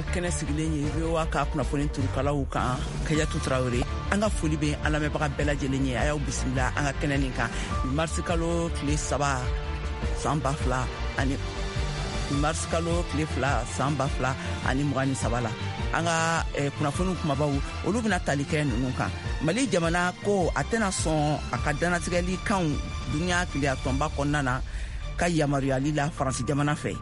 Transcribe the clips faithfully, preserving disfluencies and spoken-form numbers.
Kɛnɛ sigilen ye V O A ka kunnafoni turukalaw kan, Kajatu Tarawele. An ka foli bɛ an lamɛnbaga bɛɛ lajɛlen ye. A y'aw bisimila an ka kɛnɛ nin kan marisi kalo tile saba san ba fila ani marisi kalo tile fila san ba fila ani mugan ni saba la. An ka eh, kunnafoniw kumabaw olu bɛna tali kɛ ninnu kan. Mali jamana ko a tɛna sɔn a ka dannatigɛli kanw duniya keleya tɔnba kɔnɔna na ka yamaruyali la Faransi jamana fɛ.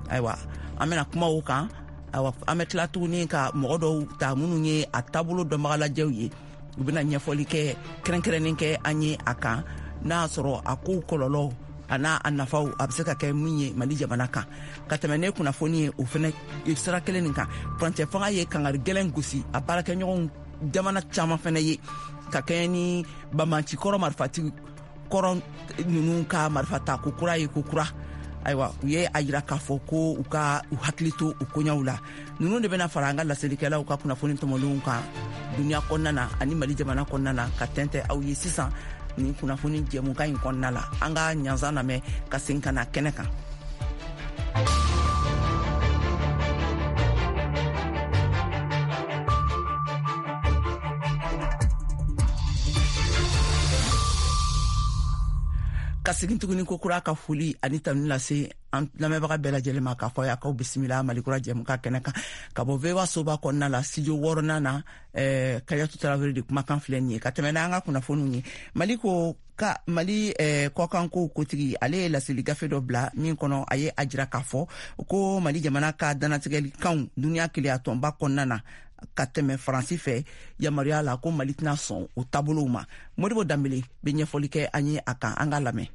Ayiwa, an bɛna kuma o kan. Ayiwa, an bɛ tila tuguni ka mɔgɔ dɔw ta minnu ye a taabolo dɔnbagalajɛw ye. U bɛna ɲɛfɔli kɛ kɛrɛnkɛrɛnnen kɛ an ye a kan, n'a y'a sɔrɔ a kow kɔlɔlɔ a n'a a nafaw a bɛ se ka kɛ min ye Mali jamana kan. Ka tɛmɛ ne kunnafoni ye o fɛnɛ sira kelen nin kan, furancɛ fanga ye kangari gɛlɛn gosi a baarakɛɲɔgɔnw jamana caman fɛnɛ ye ka kɛɲɛ ni banbanci kɔrɔ marifatigi kɔrɔ ninnu ka marifa ta ko kura ye ko kura. Ayiwa, u ye a yira k'a fɔ ko u ka u hakili to u koɲaw la. Ninnu de bɛna fara an ka laselikɛlaw ka kunnafoni tɔmɔlenw kan duniya kɔnɔna na ani Mali jamana kɔnɔna na ka tɛntɛ aw ye sisan nin kunnafoni jɛmukan in kɔnɔna la. An ka ɲansan lamɛn ka segin ka na kɛnɛ kan. Ka segin tuguni ko kura ka foli ani tanu lase an lamɛnbaga bɛɛ lajɛlen ma k'a fɔ a k'aw bisimila Mali kura jɛmukan kɛnɛ kan ka bɔ V O A soba kɔnɔna la studio wɔɔrɔnan na. eh, Kajatu Tarawele de kumakan filɛ nin ye. Ka tɛmɛ n'an ka kunnafoniw ye, Mali ko ka Mali eh, kɔkankow kotigi ale ye laseli gafe dɔ bila min kɔnɔ a ye a jira k'a fɔ ko Mali jamana ka dannatigɛli kanw duniya keleya tɔnba kɔnɔna na ka tɛmɛ Faransi fɛ yamaruya la ko Mali tɛna sɔn o taabolow ma. Modibo Danbele bɛ ɲɛfɔli kɛ an ye a kan, an k'a lamɛn.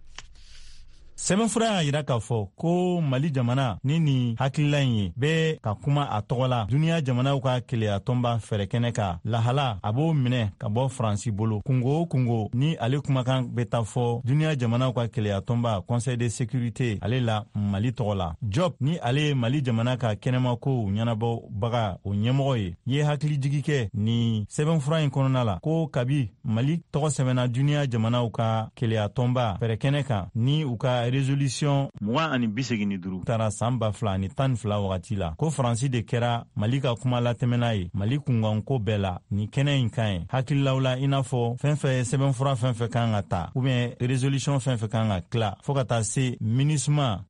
Sɛbɛnfura y'a yira k'a fɔ ko Mali jamana ni nin hakilila in ye bɛ ka kuma a tɔgɔ la duniya jamanaw ka keleya tɔnba fɛɛrɛkɛnɛ ka lahala a b'o minɛ ka bɔ Faransi bolo. Kungo o kungo ni ale kumakan bɛ taa fɔ duniya jamanaw ka keleya tɔnba Conseil de sécurité ale la Mali tɔgɔ la. Job ni ale ye Mali jamana ka kɛnɛmakow ɲɛnabɔbaga o ɲɛmɔgɔ ye ye hakilijigi kɛ nin sɛbɛnfura in kɔnɔna la ko kabi Mali tɔgɔ sɛbɛnna duniya jamanaw ka keleya tɔnba fɛɛrɛkɛnɛ kan ni u ka résolution mugan ani bi segin ni duuru taara san ba fila ani tan ni fila wagati la ko Faransi de kɛra Mali ka kuma latɛmɛna ye Mali kunkanko bɛɛ la nin kɛnɛ in kan ye hakililaw la, i n'a fɔ fɛn fɛn sɛbɛnfura fɛn fɛn kan ka ta ou bien résolution fɛn fɛn kan ka tila fɔɔ ka taa se MINUSMA.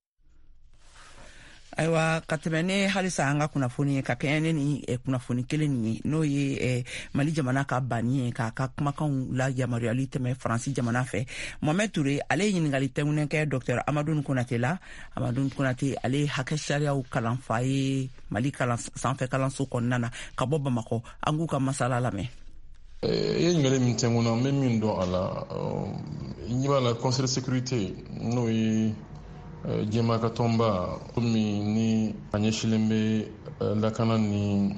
Ayiwa, ka tɛmɛ ne halisa an ka kunnafoni ye ka kɛɲɛ ne ni eh, kunnafoni kelen nin ye, n'o ye eh, Mali jamana ka banni ye k'a ka kumakanw la yamaruyali tɛmɛ Faransi jamana fɛ. Mohamed Touré ale ye ɲininkali tɛŋunen kɛ Docteur Amadou Konate la. Amadou Konate ale ye hakɛ sariyaw kalanfa ye Mali kalan sanfɛ kalanso kɔnɔna na ka bɔ Bamakɔ. An k'u ka masala lamɛn. I ye ɲininkali min tɛŋun na, n bɛ min dɔn a la, i ɲɛ b'a la Conseil de sécurité n'o ye diɲɛmaa ka tɔnba min ni a ɲɛsilen bɛ lakana ni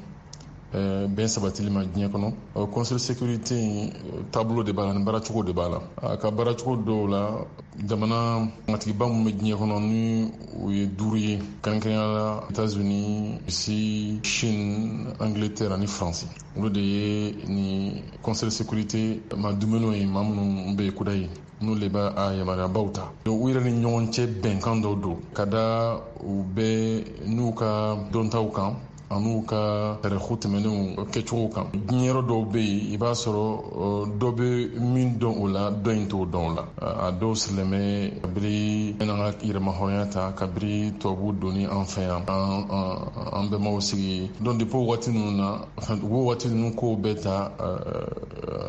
bɛn sabatili ma diɲɛ kɔnɔ. Conseil de sécurité in taabolo de b'a la ni baaracogo de b'a la. A ka baaracogo dɔw la, jamana matigiba minnu bɛ diɲɛ kɔnɔ ni o ye duuru ye, kɛrɛnkɛrɛnnenya la États-Unis, Russie, Chine, Angleterre ani France, olu de ye ni Conseil de sécurité ma dumuniw ye, maa minnu bɛ kuda ye n'olu de b'a a yamaruyabaw ta. U yɛrɛ ni ɲɔgɔn cɛ bɛnkan dɔw don ka da u bɛɛ n'u ka dɔntaw kan an'u ka tariku tɛmɛnenw kɛcogow kan. Diɲɛ yɔrɔ dɔw bɛ yen, i b'a sɔrɔ dɔ bɛ min dɔn o la, dɔ in t'o dɔn o la. A dɔw sirilen bɛ kabiri an ka yɛrɛmahɔrɔnya ta, kabiri tubabuw donni an fɛ yan, an bɛnbaw sigi. Donc depuis o waati ninnu na, u b'o waati ninnu kow bɛɛ ta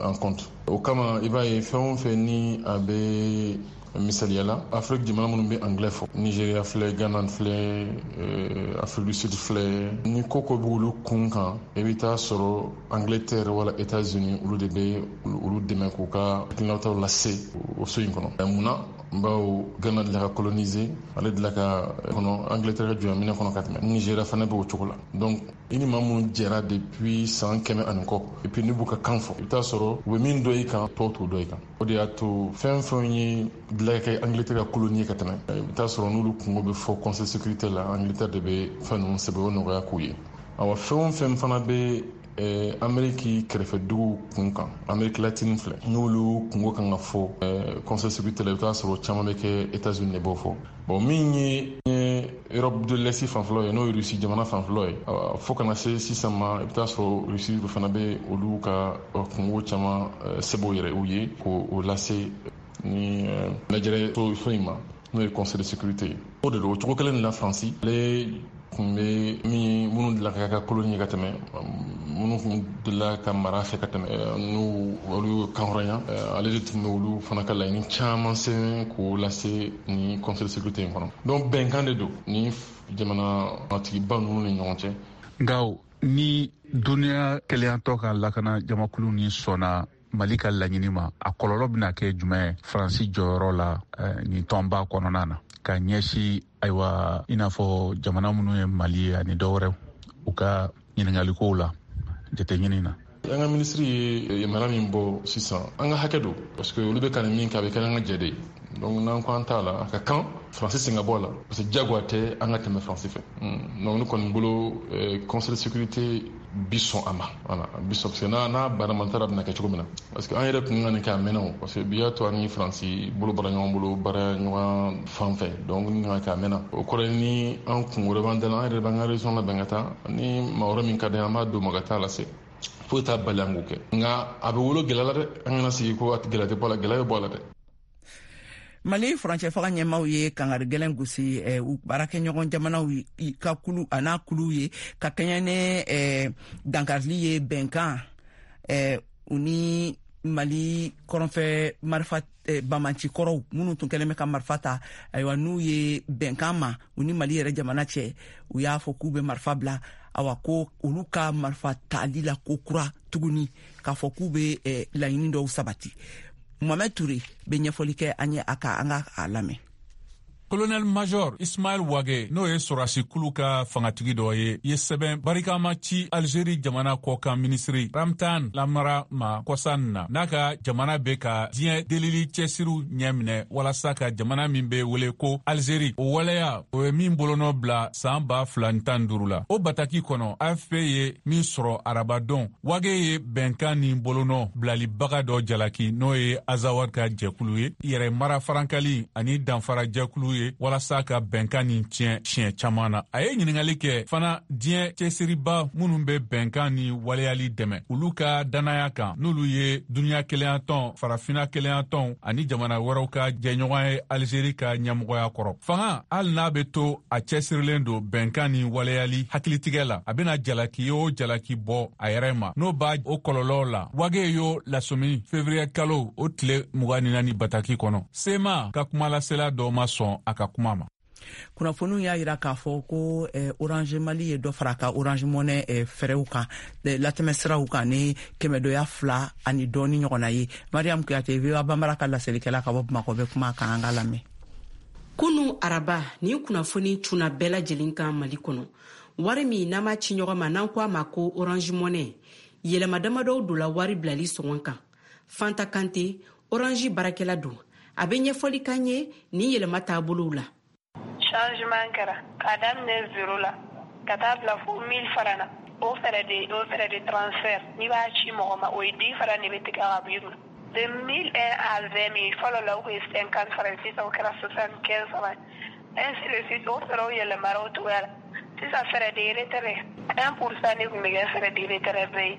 en compte. O kama i b'a ye fɛn o fɛn ni a bɛ misaliya la, Afrique jamana minnu bɛ anglais fɔ, Nigeria filɛ, Ghana filɛ, Afrique du Sud filɛ, ni ko ko b'olu kun kan, i bɛ taa sɔrɔ Angleterre wala États-Unis olu de bɛ olu dɛmɛ k'u ka hakilinataw lase o so in kɔnɔ. Munna? Bawo Ghana delila ka coloniser, ale delila ka kɔnɔ Angleterre ka jɔnminɛ kɔnɔ ka tɛmɛ. Nigeria fana bɛ o cogo la. Donc i ni maa minnu jɛra depuis san kɛmɛ ani kɔ, et puis n'u b'u ka kan fɔ, i bɛ taa sɔrɔ u bɛ min dɔn i kan, tɔw t'o dɔn i kan. O de y'a to fɛn fɛn ye delila ka kɛ Angleterre ka colonie ka tɛmɛ, i bɛ taa sɔrɔ n'olu kungo bɛ fɔ Conseil de sécurité la, Angleterre de bɛ fɛn ninnu sɛbɛn o nɔgɔya k'u ye. Awa, fɛn o fɛn fana bɛ Ameriki kɛrɛfɛduguw kun kan, Ameriki latine filɛ, n'olu kungo kan ka fɔ Conseil de sécurité la, i bɛ taa sɔrɔ caman bɛ kɛ États-Unis de b'o fɔ. Bon, min ye Europe de l'Est fanfɛlaw ye, n'o ye Russie jamana fanfɛlaw ye, fo kana se sisan ma, i bɛ taa sɔrɔ Russie fana bɛ olu ka kungo caman sɛbɛn u yɛrɛ u ye k'o lase ni lajɛrɛ so in ma, n'o ye Conseil de sécurité ye. O de don, o cogo kelen de la Faransi ale tun bɛ min minnu delila ka kɛ koloni ye ka tɛmɛ, minnu tun delila ka mara fɛ ka tɛmɛ, n'u olu kan hɔrɔnya, ale de tun bɛ olu fana ka laɲini caman sɛbɛn k'o lase ni Conseil de sécurité in kɔnɔ. Donc bɛnkan de don ni jamanatigiba ninnu ni ɲɔgɔn cɛ. Nka ni duniya kelenyatɔ ka lakana jamakulu ni sɔnna Mali ka laɲini ma, a kɔlɔlɔ bɛna kɛ jumɛn ye Faransi jɔyɔrɔ la nin tɔnba kɔnɔna na ka ɲɛsin, ayiwa, i n'a fɔ jamana minnu ye Mali ye ani dɔwɛrɛw, u ka ɲininkalikow la jateɲini na? An ka minisiri ye yamaruya min bɔ sisan, an ka hakɛ don, parce que olu bɛ ka nin min kɛ, a bɛ kɛ an ka jɛ de ye. Donc n'an ko an t'a la, a ka kan Faransi sen ka bɔ a la, parce que diyagoya tɛ an ka tɛmɛ Faransi fɛ. Donc ne kɔni bolo, Conseil de sécurité bi sɔn a ma, voilà, bi sɔn, parce que n'a n'a banamantara bɛna kɛ cogo min na, parce que an yɛrɛ tun ka nin kɛ a mɛnna o, parce que bi y'a to an ni Faransi bolo bɔra ɲɔgɔn bolo baara ɲɔgɔn fan fɛ. Donc ni ka kɛ a mɛnna, o kɔrɔ ye ni an kun wɛrɛ b'an da la, an yɛrɛ b'an ka région labɛn ka taa ni maa wɛrɛ min ka di an b'a d'o ma ka taa lase. Foyi t'a bali an k'o kɛ, nka a bɛ wolo gɛlɛya la dɛ. An kana sigi ko gɛlɛya tɛ bɔ a la, gɛlɛya bɛ bɔ a la dɛ. Mali furancɛ fanga ɲɛmaw ye kangari gɛlɛn gosi eh, u baarakɛɲɔgɔn jamanaw ka kulu a n'a kuluw ye ka kɛɲɛ ni eh, dankarili ye bɛnkan eh, u ni Mali kɔrɔnfɛ marifa eh, bamanci kɔrɔw minnu tun kɛlen bɛ ka marifa ta, ayiwa, n'u ye bɛnkan ma u ni Mali yɛrɛ jamana cɛ, u y'a fɔ k'u bɛ marifa bila, awa, ko olu ka marifa tali la ko kura tuguni k'a fɔ k'u bɛ eh, laɲini dɔw sabati. Mohamed Touré bɛ ɲɛfɔli kɛ an ye a ka an ka a lamɛn. Colonel Major Ismaël Wagué, n'o ye sɔrɔdasikulu ka fangatigi dɔ ye, ye sɛbɛn barikama ci Algérie jamana kɔkan minisiri Ramtan Lamara ma kɔsa na, n'a ka jamana bɛ ka diɲɛ delili cɛsiriw ɲɛminɛ walasa ka jamana min bɛ wele ko Algérie, o waleya o ye min bolonɔ bila saan ba fila ni tan duuru la. O bataki kɔnɔ, A F P ye min sɔrɔ arabadon, Wagué ye bɛnkan ni bolonɔ bilalibaga dɔ jalaki, n'o ye Azawad ka jɛkulu ye, yɛrɛ mara farankali ani danfara jɛkulu ye, walasa ka bɛnkan nin tiɲɛ siɲɛ caman na. A ye ɲiningali kɛ fana diɲɛ cɛsiriba minnu bɛ bɛnkan ni waleyali dɛmɛ, olu ka dannaya kan, n'olu ye duniɲa kelenyatɔn, Farafina kelenyatɔn ani jamana wɛrɛw ka jɛɲɔgɔn ye Alizeri ka ɲɛmɔgɔya kɔrɔ. Fanga, hali n'a bɛ to a cɛsirilen don bɛnkan ni waleyali hakilitigɛ la, a bɛna jalaki o jalaki bɔ a yɛrɛ ma, n'o b'a o kɔlɔlɔw la. Wagué y'o lasɔmi fevrier kalo o tile mugan ni naani bataki kɔnɔ. C M A ka kumalasela dɔ ma sɔn a ka kuma ma. Kunnafoniw y'a yira k'a fɔ ko eh, Orange Mali ye dɔ fara a ka Orange Money eh, fɛrɛw kan, eh, latɛmɛsiraw kan ni kɛmɛdoya fila ani dɔɔni ɲɔgɔnna ye. Mariam Kuyate, V O A Banbara ka laselikɛla ka bɔ Bamakɔ, bɛ kuma kan, an ka lamɛn. Kunu araba, nin kunnafoni cunna bɛɛ lajɛlen kan Mali kɔnɔ. Wari min n'an b'a ci ɲɔgɔn ma, n'an ko a ma ko Orange Money, yɛlɛma damadɔw donla wari bilali sɔngɔ kan. Fanta Kante, Orange baarakɛla don, a bɛ ɲɛfɔli kan ye nin yɛlɛma taabolow la. Changement kɛra k'a daminɛ zéro la ka taa bila fo mille francs na. O frais de o frais de transfert, n'i b'a ci mɔgɔ ma, o ye dix francs de bɛ tigɛ ka bɔ i kun. De mille un à vingt mille, fɔlɔ la o kun ye cinquante francs, sisan o kɛra soixante quinze francs, ainsi de suite. O frais yɛlɛmara o cogoya la. Sisan frais de retrait, un pour cent de tun bɛ kɛ frais de retrait bɛɛ ye,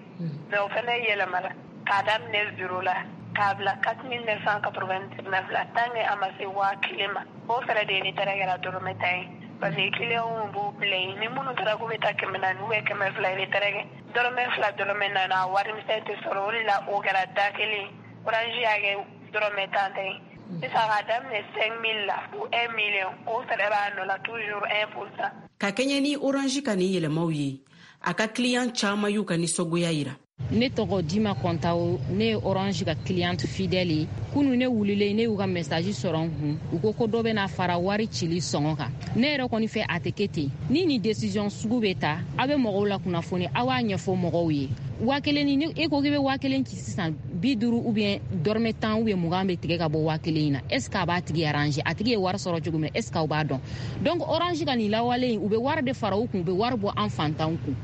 mais o fɛnɛ yɛlɛmara k'a daminɛ zéro la k'a bila quatre mille neuf cent quatre-vingt-dix-neuf la, tant que a ma se waa kelen ma, o frais de retrait kɛra dɔrɔmɛ tan ye, parce que clients b'u bila yen ni minnu taara k'u bɛ taa kɛmɛ naani ou bien kɛmɛ fila retrait kɛ, dɔrɔmɛ fila, dɔrɔmɛ naani, a wari misɛn tɛ sɔrɔ. O de la o kɛra da kelen, Orange y'a kɛ dɔrɔmɛ tan ta ye. Sisan k'a daminɛ cinq mille la fo un million, o frais b'a nɔ la toujours un pour cent. Ka kɛɲɛ ni Orange ka nin yɛlɛmaw ye, a ka client caman y'u ka nisɔngoya yira. Ne tɔgɔ Dima Kɔntawo, ne ye Orange ka cliente fidèle ye. Kunu ne wulilen, ne y'u ka message sɔrɔ n kun, u ko ko dɔ bɛna fara wari cili sɔngɔ kan. Ne yɛrɛ kɔni fɛ, a tɛ kɛ ten. Ni nin décision sugu bɛ ta, aw bɛ mɔgɔw la kunnafoni, aw b'a ɲɛfɔ mɔgɔw ye. Waa kelen ni e ko k'i bɛ waa kelen ci sisan, bi duuru ou bien dɔrɔmɛ tan ou bien mugan bɛ tigɛ ka bɔ waa kelen in na. Est ce que a b'a tigi arranger? A tigi ye wari sɔrɔ cogo min na, est ce que aw b'a dɔn? Donc Orange ka nin lawale in, u bɛ wari de fara u kun, u bɛ wari bɔ an fantanw kun.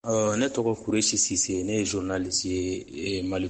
Uh, ne tɔgɔ Kuresi Sise, ne ye journaliste ye Mali.